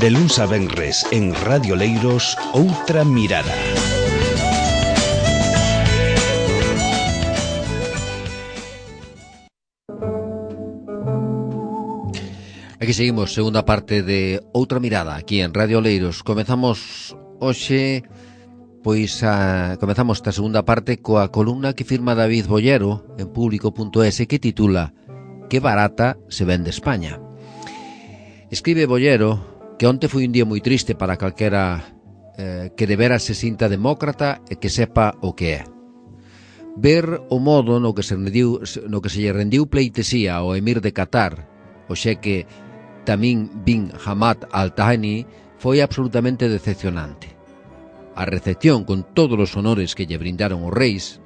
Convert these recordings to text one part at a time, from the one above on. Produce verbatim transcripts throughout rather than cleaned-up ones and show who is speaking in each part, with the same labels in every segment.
Speaker 1: De luns a venres en Radio Leiros, Outra Mirada.
Speaker 2: Aquí seguimos, segunda parte de Outra Mirada, aquí en Radio Leiros. Comezamos hoxe, pois a, comezamos esta segunda parte coa columna que firma David Bollero en público punto es que titula Que barata se vende España. Escribe Bollero que onte foi un día moi triste para calquera eh, que de veras se sinta demócrata e que sepa o que é. Ver o modo no que se rendiu, no que se lle rendiu pleitesía ao emir de Qatar, o xeque Tamim bin Hamad Al Thani, foi absolutamente decepcionante. A recepción con todos os honores que lle brindaron os reis,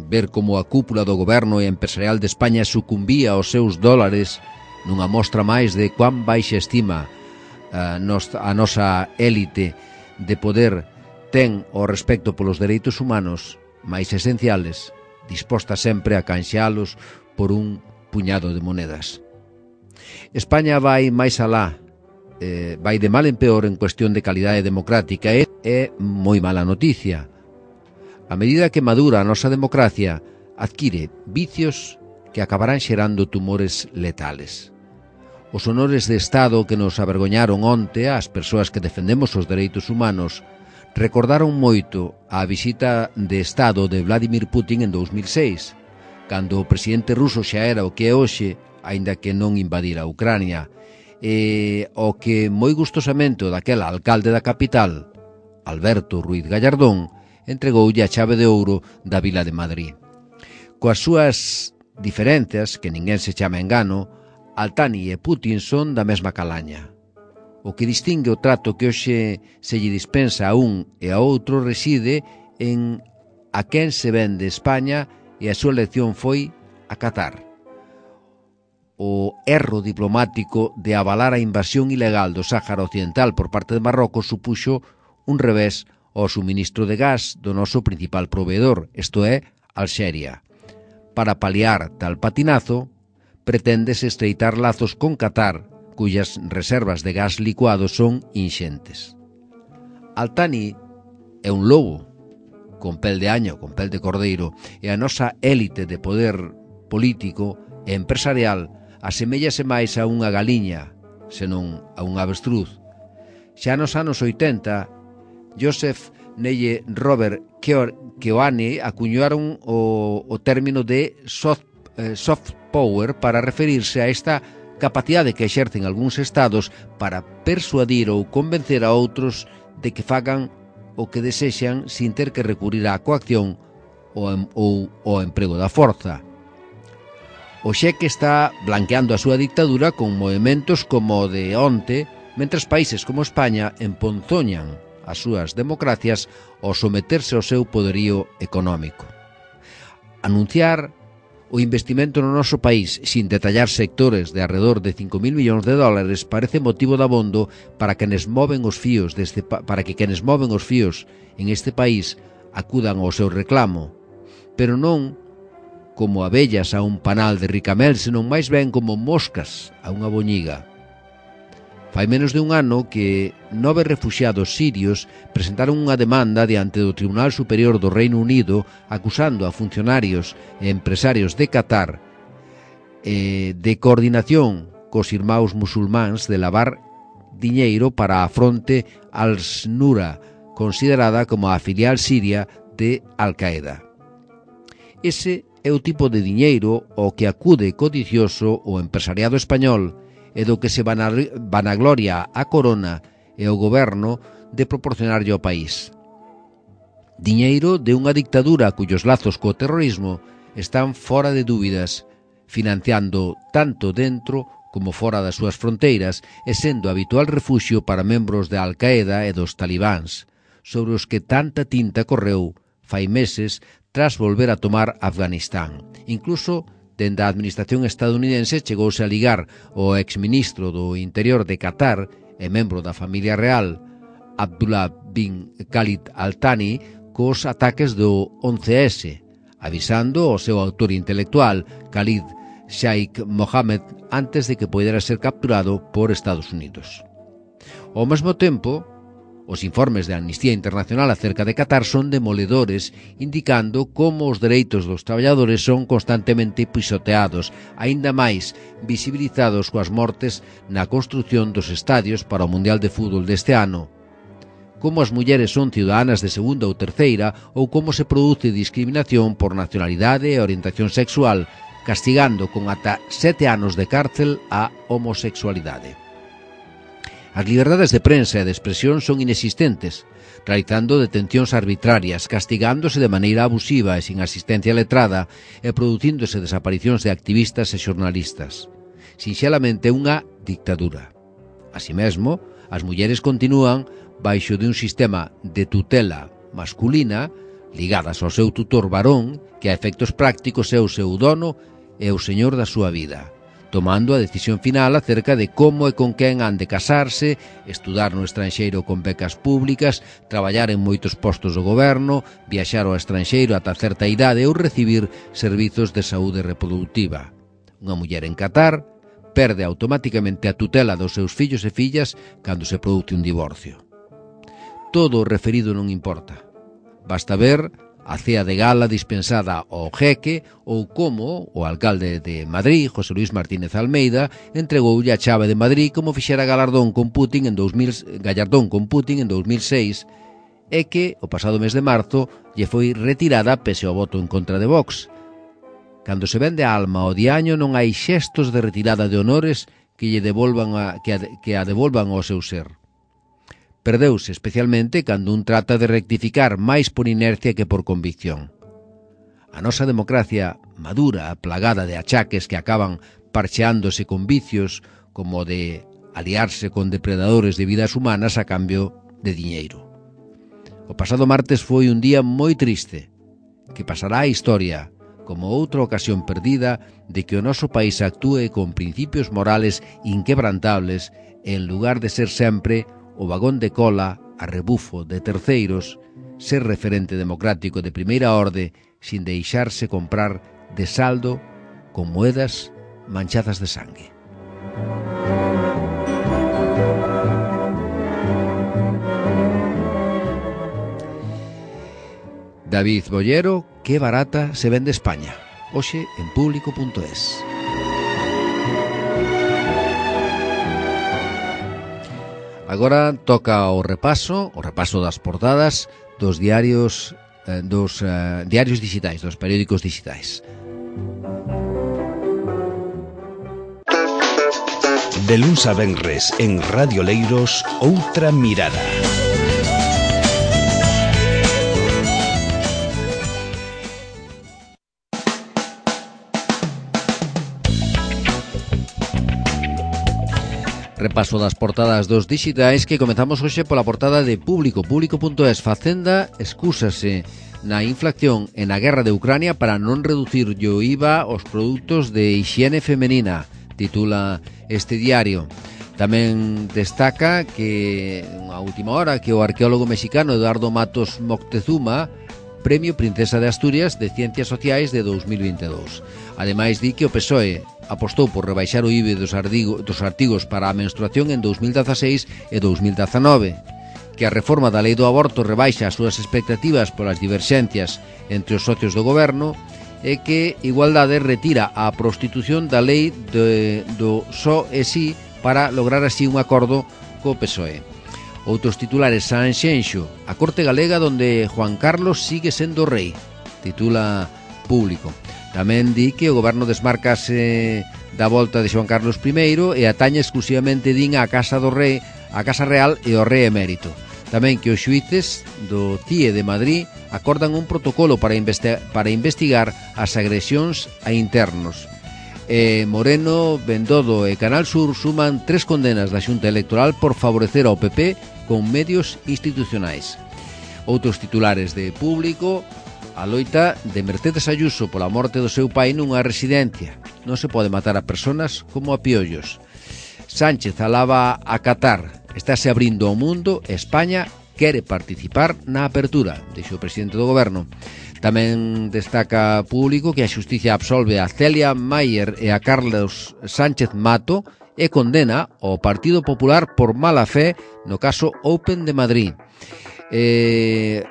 Speaker 2: ver como a cúpula do goberno e empresarial de España sucumbía aos seus dólares nunha mostra máis de cuán baixa estima a, nos, a nosa élite de poder ten o respecto polos dereitos humanos máis esenciales, disposta sempre a canxealos por un puñado de monedas. España vai máis alá, eh, vai de mal en peor en cuestión de calidade democrática e é moi mala noticia. A medida que madura a nosa democracia, adquire vicios que acabarán xerando tumores letales. Os honores de Estado que nos avergoñaron onte ás persoas que defendemos os dereitos humanos recordaron moito a visita de Estado de Vladimir Putin en dous mil seis, cando o presidente ruso xa era o que é hoxe, aínda que non invadira a Ucrania, e o que moi gustosamente daquel alcalde da capital, Alberto Ruiz Gallardón, entregoulle a chave de ouro da vila de Madrid. Coas súas diferenzas, que ninguén se chama engano, Al Thani e Putin son da mesma calaña. O que distingue o trato que hoxe se lle dispensa a un e a outro reside en a quen se vende España e a súa elección foi a Qatar. O erro diplomático de avalar a invasión ilegal do Sáhara Occidental por parte de Marrocos supuxo un revés ao suministro de gas do noso principal proveedor, isto é, Alxeria. Para paliar tal patinazo, preténdese estreitar lazos con Qatar, cuyas reservas de gas licuado son inxentes. Al Thani é un lobo, con pel de año, con pel de cordeiro, e a nosa élite de poder político e empresarial aseméllase máis a unha galiña, senón a un avestruz. Xa nos anos oitenta, Joseph Neye Robert Keohane acuñaron o, o término de soft, eh, soft power para referirse a esta capacidade que exercen algúns estados para persuadir ou convencer a outros de que fagan o que desexan sin ter que recurrir á coacción ou, ou ao emprego da forza. O xeque está blanqueando a súa dictadura con movementos como o de onte, mentres países como España emponzoñan as súas democracias ao someterse ao seu poderío económico. Anunciar o investimento no noso país sin detallar sectores de arredor de cinco mil millóns de dólares parece motivo de abondo para quenes moven os fíos deste pa- para que quenes moven os fíos en este país acudan ao seu reclamo, pero non como abellas a un panal de ricamel, senón máis ben como moscas a unha boñiga. Fai menos de un ano que nove refuxiados sirios presentaron unha demanda diante do Tribunal Superior do Reino Unido acusando a funcionarios e empresarios de Qatar eh, de coordinación cos irmáns musulmáns de lavar diñeiro para a fronte al-Nusra, considerada como a filial siria de Al-Qaeda. Ese é o tipo de diñeiro ao que acude codicioso o empresariado español e do que se vanagloria a Corona e o goberno de proporcionarlle ao país. Diñeiro de unha dictadura cuyos lazos co terrorismo están fora de dúbidas, financiando tanto dentro como fora das súas fronteiras e sendo habitual refuxio para membros de Al-Qaeda e dos talibáns, sobre os que tanta tinta correu fai meses tras volver a tomar Afganistán. Incluso, dende a administración estadounidense chegouse a ligar o exministro do Interior de Qatar e membro da familia real, Abdullah bin Khalid Al Thani, cos ataques do once ese, avisando o seu autor intelectual, Khalid Sheikh Mohammed antes de que pudera ser capturado por Estados Unidos. Ao mesmo tempo, os informes de Amnistía Internacional acerca de Qatar son demoledores, indicando como os dereitos dos traballadores son constantemente pisoteados, aínda máis visibilizados coas mortes na construción dos estadios para o Mundial de Fútbol deste ano, como as mulleres son ciudadanas de segunda ou terceira, ou como se produce discriminación por nacionalidade e orientación sexual, castigando con ata sete anos de cárcel a homosexualidade. As liberdades de prensa e de expresión son inexistentes, realizando detencións arbitrarias, castigándose de maneira abusiva e sin asistencia letrada e producíndose desaparicións de activistas e xornalistas. Sinxelamente unha dictadura. Así mesmo, as mulleres continúan baixo de un sistema de tutela masculina ligadas ao seu tutor varón, que a efectos prácticos é o seu dono e o señor da súa vida, tomando a decisión final acerca de como e con quen han de casarse, estudar no estranxeiro con becas públicas, traballar en moitos postos do goberno, viaxar ao estranxeiro ata certa idade ou recibir servizos de saúde reproductiva. Unha muller en Qatar perde automáticamente a tutela dos seus fillos e fillas cando se produce un divorcio. Todo o referido non importa. Basta ver a cea de gala dispensada ao jeque ou como o alcalde de Madrid, José Luis Martínez Almeida, entregoulle a chave de Madrid como fixera Galardón con Putin en dos mil, Gallardón con Putin en dos mil seis, e que o pasado mes de marzo lle foi retirada pese ao voto en contra de Vox. Cando se vende a alma ao diaño non hai xestos de retirada de honores que lle devolvan a, que, a, que a devolvan ao seu ser. Perdeuse especialmente cando un trata de rectificar máis por inercia que por convicción. A nosa democracia madura, plagada de achaques que acaban parcheándose con vicios como de aliarse con depredadores de vidas humanas a cambio de diñeiro. O pasado martes foi un día moi triste, que pasará a historia como outra ocasión perdida de que o noso país actúe con principios morales inquebrantables en lugar de ser sempre o vagón de cola a rebufo de terceiros, ser referente democrático de primeira orde sin deixarse comprar de saldo con moedas manchadas de sangue. David Bollero, que barata se vende España. Hoxe en público punto es. Agora toca o repaso, o repaso das portadas dos diarios eh, dos eh, diarios digitais, dos periódicos digitais.
Speaker 1: De luns a venres en Radio Leiros, Outra Mirada.
Speaker 2: Repaso das portadas dos digitais que comezamos hoxe pola portada de Público, público punto es. Facenda excúsase na inflación e na guerra de Ucrania para non reducir o I V A aos produtos de hixiene femenina, titula este diario. Tamén destaca que a última hora que o arqueólogo mexicano Eduardo Matos Moctezuma Premio Princesa de Asturias de Ciencias Sociais de dos mil veintidós. Ademais, di que o P S O E apostou por rebaixar o I V A dos, ardigo, dos artigos para a menstruación en dos mil dezaseis e dos mil dezanove, que a reforma da lei do aborto rebaixa as súas expectativas polas diverxencias entre os socios do goberno e que Igualdade retira a prostitución da lei de, do só e sí para lograr así un acordo co P S O E. Outros titulares: Sanxenxo, a corte galega donde Juan Carlos sigue sendo rei, titula Público. Tamén di que o goberno desmarcase da volta de Juan Carlos primeiro e atañe exclusivamente din a Casa do Rei, a Casa Real e o Rei Emérito. Tamén que os xuíces do C I E de Madrid acordan un protocolo para, investi- para investigar as agresións a internos. E Moreno, Bendodo e Canal Sur suman tres condenas da Xunta Electoral por favorecer ao P P con medios institucionais. Outros titulares de Público: a loita de Mercedes Ayuso pola morte do seu pai nunha residencia. Non se pode matar a personas como a piollos. Sánchez alaba a Qatar. Estáse abrindo ao mundo. España quere participar na apertura, dixo o presidente do goberno. Tamén destaca Público que a xustiza absolve a Celia Mayer e a Carlos Sánchez Mato e condena ao Partido Popular por mala fe no caso Open de Madrid. Eh,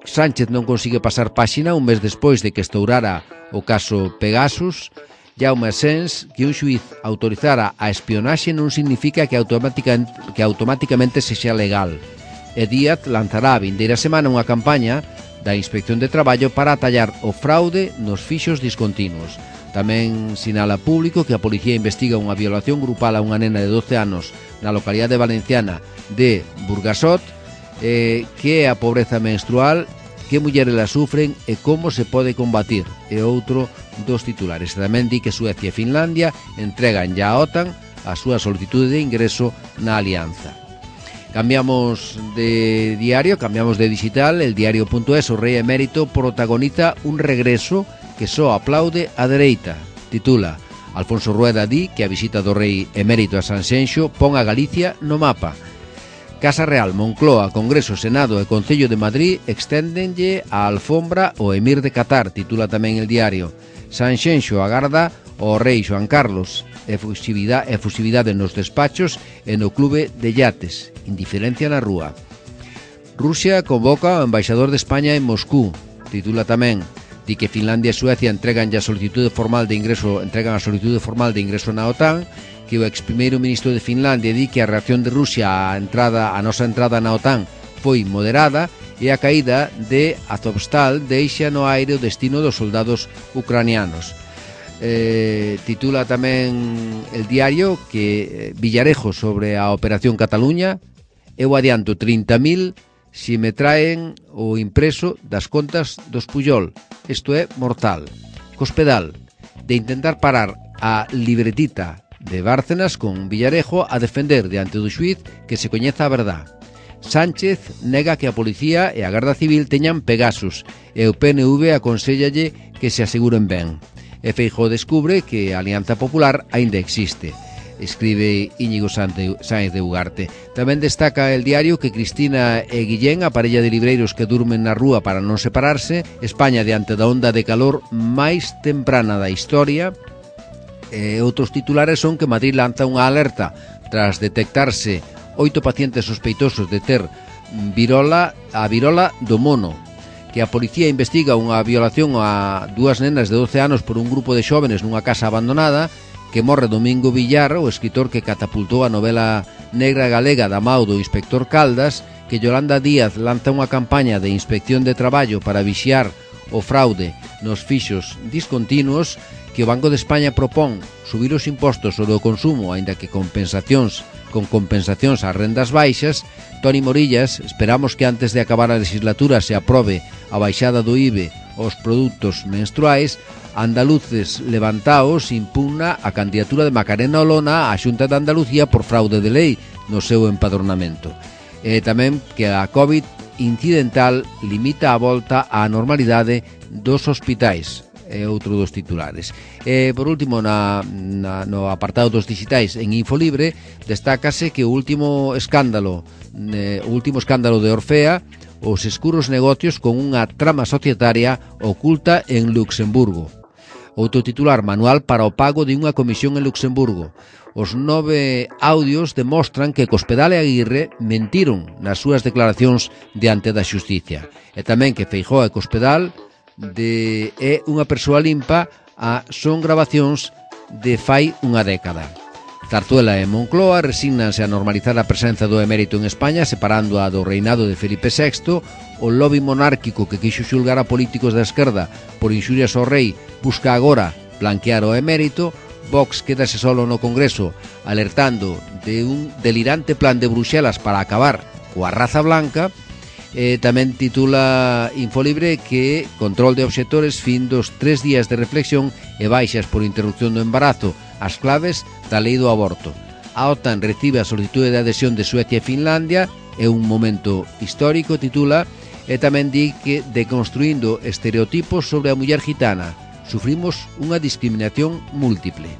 Speaker 2: Sánchez non consigue pasar páxina un mes despois de que estourara o caso Pegasus. Jaume Asens, que un xuiz autorizara a espionaxe non significa que, automática, que automáticamente sexa legal. E Díaz lanzará a vindeira semana unha campaña da Inspección de Traballo para atallar o fraude nos fixos discontinuos. Tamén sinala Público que a policía investiga unha violación grupal a unha nena de doce anos na localidade valenciana de Burgasot, eh, que é a pobreza menstrual, que mulleres la sufren e como se pode combatir. E outro dos titulares. Tamén di que Suecia e Finlandia entregan ya a OTAN a súa solicitude de ingreso na alianza. Cambiamos de diario, cambiamos de digital. El diario.es, o rei emérito protagoniza un regreso que só aplaude a dereita. Titula: Alfonso Rueda di que a visita do rei emérito a Sanxenxo pon a Galicia no mapa. Casa Real, Moncloa, Congreso, Senado e Concello de Madrid exténdenlle a alfombra o emir de Qatar, titula tamén el diario. Sanxenxo agarda o rei Xoan Carlos, efusividade, efusividade nos despachos e no clube de yates, indiferencia na rúa. Rusia convoca ao embaixador de España en Moscú, titula tamén. Di que Finlandia e Suecia entregan ya solicitude formal de ingreso, entregan a solicitude formal de ingreso na OTAN, que o ex primeiro ministro de Finlandia di que a reacción de Rusia á entrada, a nosa entrada na OTAN foi moderada e a caída de Azovstal deixa no aire o destino dos soldados ucranianos. Eh, titula tamén el diario que Villarejo sobre a Operación Cataluña: eu adianto trinta mil si me traen o impreso das contas dos Pujol. Isto é mortal. Cospedal, de intentar parar a libretita de Bárcenas con Villarejo a defender diante do xuiz que se coñeza a verdad. Sánchez nega que a policía e a Garda Civil teñan Pegasus e o P N V aconséllalle que se aseguren ben. E Feijóo descubre que a Alianza Popular aínda existe, escribe Íñigo Sáenz de Ugarte. Tamén destaca el diario que Cristina e Guillén, a parella de libreiros que durmen na rúa para non separarse, España diante da onda de calor máis temprana da historia. E outros titulares son que Madrid lanza unha alerta tras detectarse oito pacientes sospeitosos de ter virola, a virola do mono, que a policía investiga unha violación a dúas nenas de doce anos por un grupo de xóvenes nunha casa abandonada, que morre Domingo Villar, o escritor que catapultou a novela negra galega da mao do inspector Caldas, que Yolanda Díaz lanza unha campaña de inspección de traballo para vixiar o fraude nos fixos discontinuos, que o Banco de España propón subir os impostos sobre o consumo, aínda que compensacións con compensacións ás rendas baixas. Toni Morillas, esperamos que antes de acabar a legislatura se aprobe a baixada do I V E aos produtos menstruais. Andaluces levantaos impugna a candidatura de Macarena Olona á Xunta de Andalucía por fraude de lei no seu empadronamento. E tamén que a COVID incidental limita a volta á normalidade dos hospitais. É outro dos titulares. E, por último, na, na, no apartado dos digitais en Infolibre, destácase que o último escándalo eh, o último escándalo de Orfea, os escuros negocios con unha trama societaria oculta en Luxemburgo. Outro titular: manual para o pago de unha comisión en Luxemburgo. Os nove audios demostran que Cospedal e Aguirre mentiron nas súas declaracións diante da xusticia. E tamén que Feijóo e Cospedal de é unha persoa limpa a son grabacións de fai unha década. Zarzuela e Moncloa resígnanse a normalizar a presenza do emérito en España, separando a do reinado de Felipe sexto. O lobby monárquico que quixo xulgar a políticos da esquerda por inxurias ao rei busca agora blanquear o emérito. Vox quedase solo no Congreso alertando de un delirante plan de Bruxelas para acabar coa raza blanca. Eh, tamén titula Infolibre que control de obxectores, fin dos tres días de reflexión e baixas por interrupción do embarazo, as claves da lei do aborto. A OTAN recibe a solicitude de adhesión de Suecia e Finlandia, é un momento histórico, titula, e tamén di que deconstruindo estereotipos sobre a muller gitana, sufrimos unha discriminación múltiple.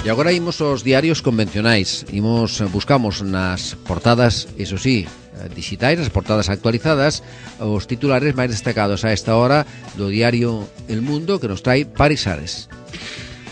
Speaker 2: E E agora imos aos diarios convencionais. Imos, buscamos nas portadas, iso sí, digitais, as portadas actualizadas, os titulares máis destacados a esta hora do diario El Mundo, que nos trae Paris Ares.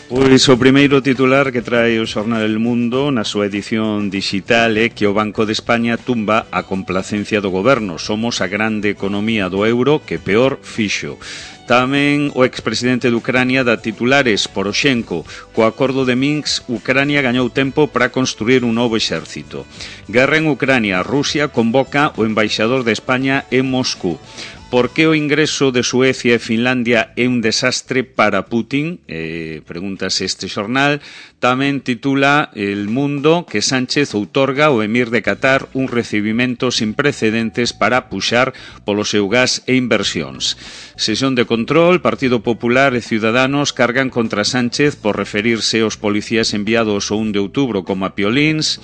Speaker 3: Pois o primeiro titular que trae o xornal El Mundo na súa edición digital é que o Banco de España tumba a complacencia do goberno. Somos a grande economía do euro que peor fixo. Tamén o expresidente de Ucrania dá titulares Poroshenko. Co acordo de Minsk, Ucrania gañou tempo para construir un novo exército. Guerra en Ucrania. Rusia convoca o embaixador de España en Moscú. Por que o ingreso de Suecia e Finlandia é un desastre para Putin? Eh, pregúntase este xornal. Tamén titula El Mundo que Sánchez outorga ao emir de Qatar un recibimento sin precedentes para puxar polo seu gas e inversións. Sesión de control, Partido Popular e Ciudadanos cargan contra Sánchez por referirse aos policías enviados o un de outubro como a piolíns,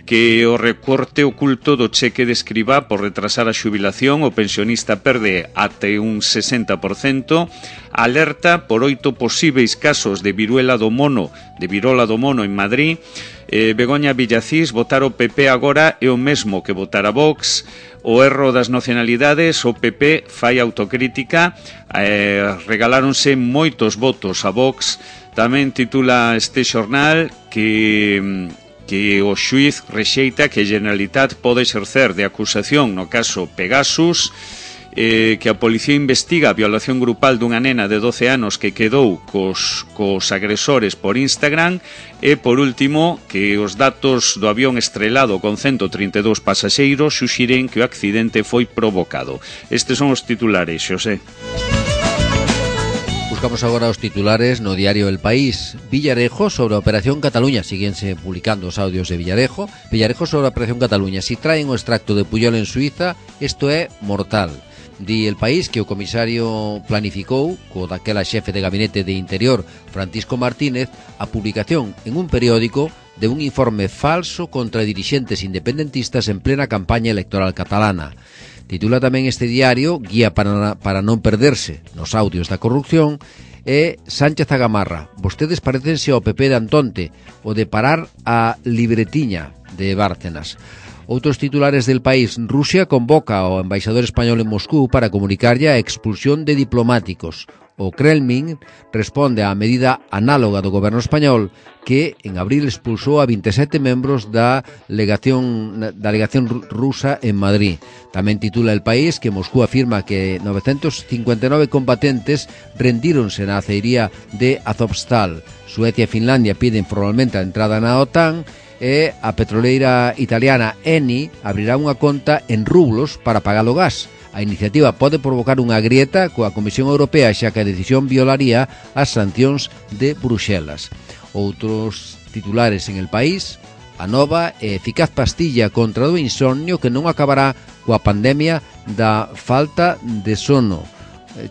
Speaker 3: que o recorte oculto do cheque de Escribá por retrasar a xubilación o pensionista perde até un sesenta por cento, alerta por oito posíveis casos de viruela do mono, de virola do mono en Madrid, eh, Begoña Villacís, votar o P P agora é o mesmo que votar a Vox, o erro das nacionalidades, o P P fai autocrítica, eh, regaláronse moitos votos a Vox. Tamén titula este xornal que... que o xuiz rexeita que a Generalitat pode exercer de acusación no caso Pegasus, eh, que a policía investiga a violación grupal dunha nena de doce anos que quedou cos, cos agresores por Instagram, e, por último, que os datos do avión estrelado con ciento trinta e dous pasaxeiros suxiren que o accidente foi provocado. Estes son os titulares, Xosé.
Speaker 2: Buscamos agora os titulares no diario El País. Villarejo sobre a Operación Cataluña. Síguense publicando os audios de Villarejo. Villarejo sobre a Operación Cataluña. Si traen o extracto de Puyol en Suiza, isto é mortal. Di El País que o comisario planificou, co daquela xefe de gabinete de Interior, Francisco Martínez, a publicación en un periódico de un informe falso contra dirixentes independentistas en plena campaña electoral catalana. Titula tamén este diario Guía para, para non perderse nos audios da corrupción e Sánchez a Gamarra. Vostedes parecense ao P P de Antonte o de parar a libretiña de Bárcenas. Outros titulares del País. Rusia convoca ao embaixador español en Moscú para comunicarlle a expulsión de diplomáticos. O Kremlin responde á medida análoga do goberno español que en abril expulsou a vinte e sete membros da legación, da legación rusa en Madrid. Tamén titula El País que Moscú afirma que novecentos cincuenta e nove combatentes rendíronse na aceiría de Azovstal. Suecia e Finlandia piden formalmente a entrada na OTAN e a petroleira italiana Eni abrirá unha conta en rublos para pagar o gas. A iniciativa pode provocar unha grieta coa Comisión Europea xa que a decisión violaría as sancións de Bruxelas. Outros titulares en El País. A nova e eficaz pastilla contra o insomnio que non acabará coa pandemia da falta de sono.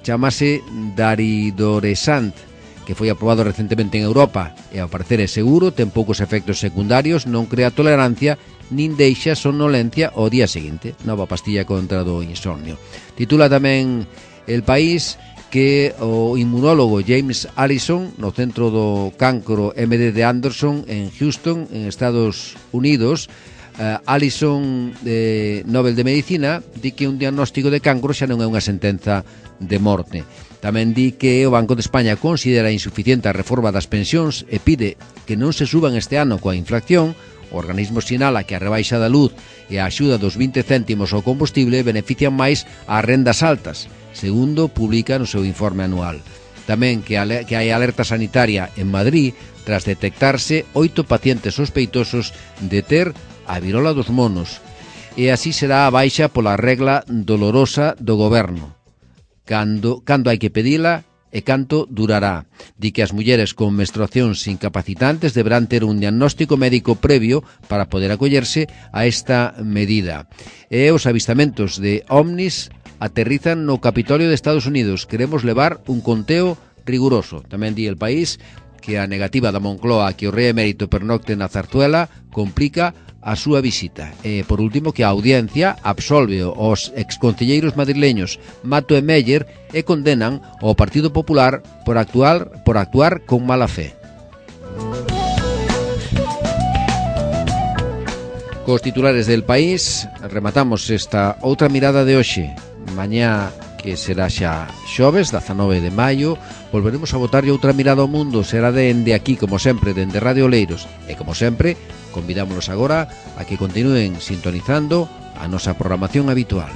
Speaker 2: Chámase Daridorexant, que foi aprobado recentemente en Europa e ao parecer é seguro, ten poucos efectos secundarios, non crea tolerancia nin deixa somnolencia ao día seguinte. Nova pastilla contra do insomnio. Titula tamén El País que o inmunólogo James Allison no Centro do Cancro M D de Anderson en Houston, en Estados Unidos, uh, Allison de Nobel de Medicina di que un diagnóstico de cancro xa non é unha sentenza de morte. Tamén di que o Banco de España considera insuficiente a reforma das pensións e pide que non se suban este ano coa inflación. O organismo sinala que a rebaixa da luz e a axuda dos vinte céntimos ao combustible benefician máis ás rendas altas, segundo publica no seu informe anual. Tamén que, ale, que hai alerta sanitaria en Madrid tras detectarse oito pacientes sospeitosos de ter a virola dos monos. E así será a baixa pola regla dolorosa do goberno. Cando, cando hai que pedila e canto durará. Di que as mulleres con menstruacións incapacitantes deberán ter un diagnóstico médico previo para poder acollerse a esta medida. E os avistamentos de ovnis aterrizan no Capitolio de Estados Unidos. Queremos levar un conteo riguroso. Tamén di El País que a negativa da Moncloa que o rei emérito pernocte na Zarzuela complica a súa visita. E, por último, que a audiencia absolve os exconcelleiros madrileños Mato e Meller e condenan ao Partido Popular por actuar, por actuar con mala fe. Cos titulares del país rematamos esta outra mirada de hoxe. Mañá, que será xa xoves, dezanove de maio, volveremos a botarlle outra mirada ao mundo. Será dende aquí, como sempre, dende Radio Oleiros. E, como sempre, convidámonos agora a que continúen sintonizando a nosa programación habitual.